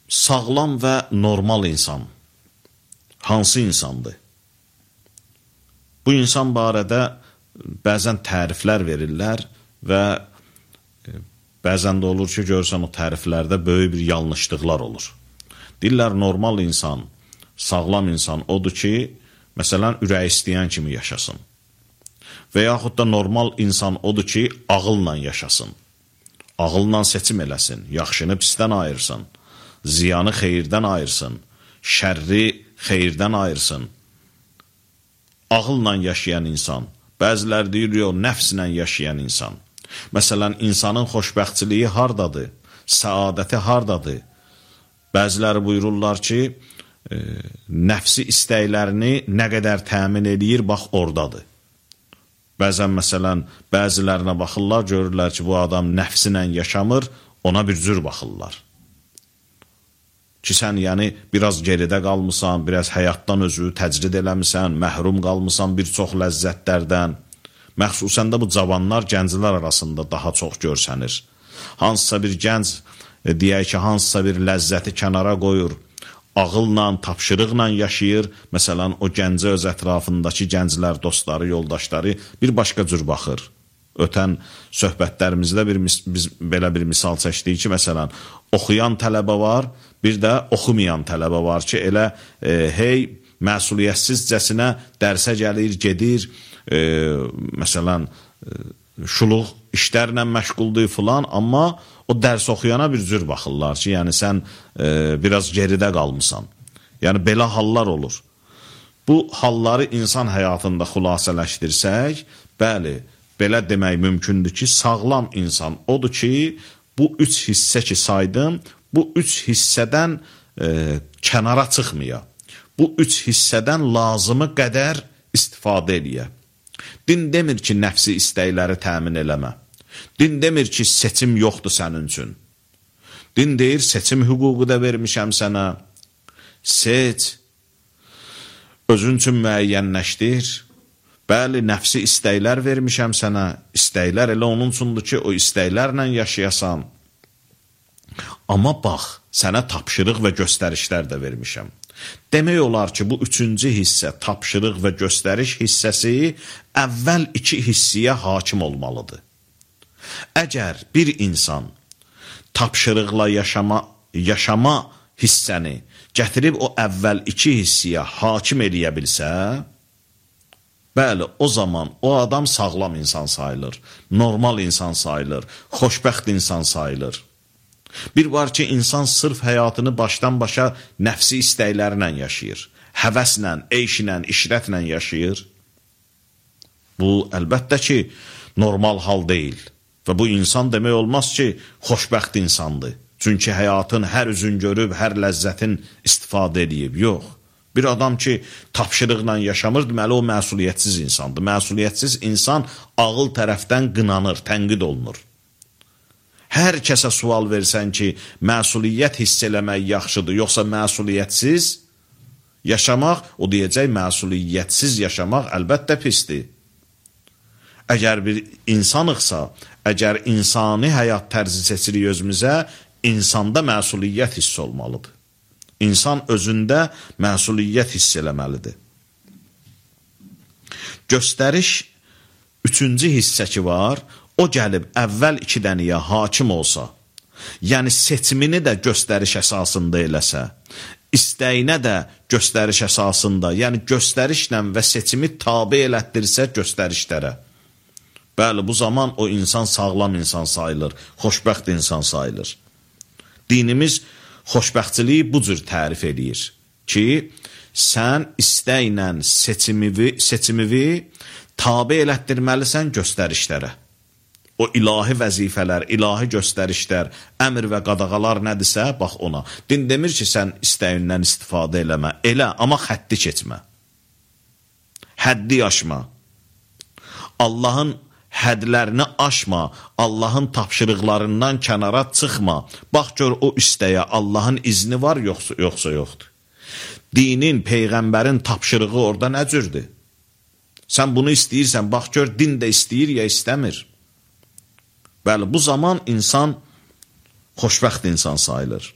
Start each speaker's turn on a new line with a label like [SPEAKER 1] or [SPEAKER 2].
[SPEAKER 1] sağlam və normal insan hansı insandır? Bu insan barədə bəzən təriflər verirlər və bəzən də olur ki, görürsən o təriflərdə böyük bir yanlışlıqlar olur. Deyirlər, normal insan, sağlam insan odur ki, məsələn, ürək istəyən kimi yaşasın. Və yaxud da normal insan odur ki, ağılla yaşasın. Ağılla seçim eləsin, yaxşını pisdən ayırsın, ziyanı xeyirdən ayırsın, şərri xeyirdən ayırsın. Ağılla yaşayan insan, bəzilər deyir, nəfslə yaşayan insan. Məsələn, insanın xoşbəxtçiliyi hardadır, səadəti hardadır? Bəziləri buyururlar ki, nəfsi istəklərini nə qədər təmin edir, bax, oradadır. Bəzən, məsələn, bəzilərinə baxırlar, görürlər ki, bu adam nəfsinlə yaşamır, ona bir cür baxırlar. Ki, sən yəni biraz geridə qalmısan, biraz həyatdan özü təcrid eləmisən, məhrum qalmısan bir çox ləzzətlərdən. Məxsusən də bu cavanlar, gənclər arasında daha çox görsənir. Hansısa bir gənc, deyək ki, hansısa bir ləzzəti kənara qoyur, ağılla, tapşırıqla yaşayır. Məsələn, o gəncə öz ətrafındakı gənclər, dostları, yoldaşları bir başqa cür baxır. Ötən söhbətlərimizdə biz belə bir misal çəkdik ki, məsələn, oxuyan tələbə var, bir də oxumayan tələbə var ki, elə hey məsuliyyətsizcəsinə dərsə gəlir, gedir, məsələn, şuluq işlərlə məşğuldur filan, amma o dərs oxuyana bir cür baxırlar ki, yəni sən biraz geridə qalmısan. Yəni, belə hallar olur. Bu halları insan həyatında xülasələşdirsək, bəli, belə demək mümkündür ki, sağlam insan odur ki, bu üç hissə ki saydım, bu üç hissədən kənara çıxmaya, bu üç hissədən lazımı qədər istifadə eləyə. Din demir ki, nəfsi istəkləri təmin eləmə. Din demir ki, seçim yoxdur sənin üçün. Din deyir, seçim hüququ da vermişəm sənə. Seç, özün üçün müəyyənləşdir. Bəli, nəfsi istəklər vermişəm sənə. İstəklər elə onun üçündür ki, o istəklərlə yaşayasan. Amma bax, sənə tapşırıq və göstərişlər də vermişəm. Demək olar ki, bu üçüncü hissə, tapşırıq və göstəriş hissəsi əvvəl iki hissiyə hakim olmalıdır. Əgər bir insan tapşırıqla yaşama hissəni gətirib o əvvəl iki hissiyə hakim eləyə bilsə, bəli, o zaman o adam sağlam insan sayılır, normal insan sayılır, xoşbəxt insan sayılır. Bir var ki, insan sırf həyatını başdan başa nəfsi istəklərlə yaşayır, həvəslə, eyşlə, işrətlə yaşayır. Bu, əlbəttə ki, normal hal deyil və bu insan demək olmaz ki, xoşbəxt insandır. Çünki həyatın hər üzün görüb, hər ləzzətin istifadə edib, yox. Bir adam ki, tapşırıqla yaşamır, deməli o məsuliyyətsiz insandır. Məsuliyyətsiz insan ağıl tərəfdən qınanır, tənqid olunur. Hər kəsə sual versən ki, məsuliyyət hiss eləmək yaxşıdır, yoxsa məsuliyyətsiz yaşamaq, o deyəcək, məsuliyyətsiz yaşamaq əlbəttə pisdir. Əgər bir insanıqsa, əgər insani həyat tərzi seçirik özümüzə, insanda məsuliyyət hiss olmalıdır. İnsan özündə məsuliyyət hiss eləməlidir. Göstəriş, üçüncü hissə ki var, o gəlib əvvəl iki dəniyə hakim olsa, yəni seçimini də göstəriş əsasında eləsə, istəyinə də göstəriş əsasında, yəni göstərişlə və seçimi tabe elətdirsə göstərişlərə. Bəli, bu zaman o insan sağlam insan sayılır, xoşbəxt insan sayılır. Dinimiz xoşbəxtçiliyi bu cür tərif edir ki, sən istəklə seçimivi tabe elətdirməlisən göstərişlərə. O ilahi vəzifələr, ilahi göstərişlər, əmr və qadağalar nədirsə, bax ona. Din demir ki, sən istəyindən istifadə eləmə, elə, amma xəddi keçmə. Həddi aşma. Allahın hədlərini aşma, Allahın tapşırıqlarından kənara çıxma. Bax gör o istəyə Allahın izni var, yoxsa yoxdur. Dinin, peyğəmbərin tapşırığı orada nə cürdür? Sən bunu istəyirsən, bax gör din də istəyir ya istəmir. Bəli, bu zaman insan xoşbəxt insan sayılır.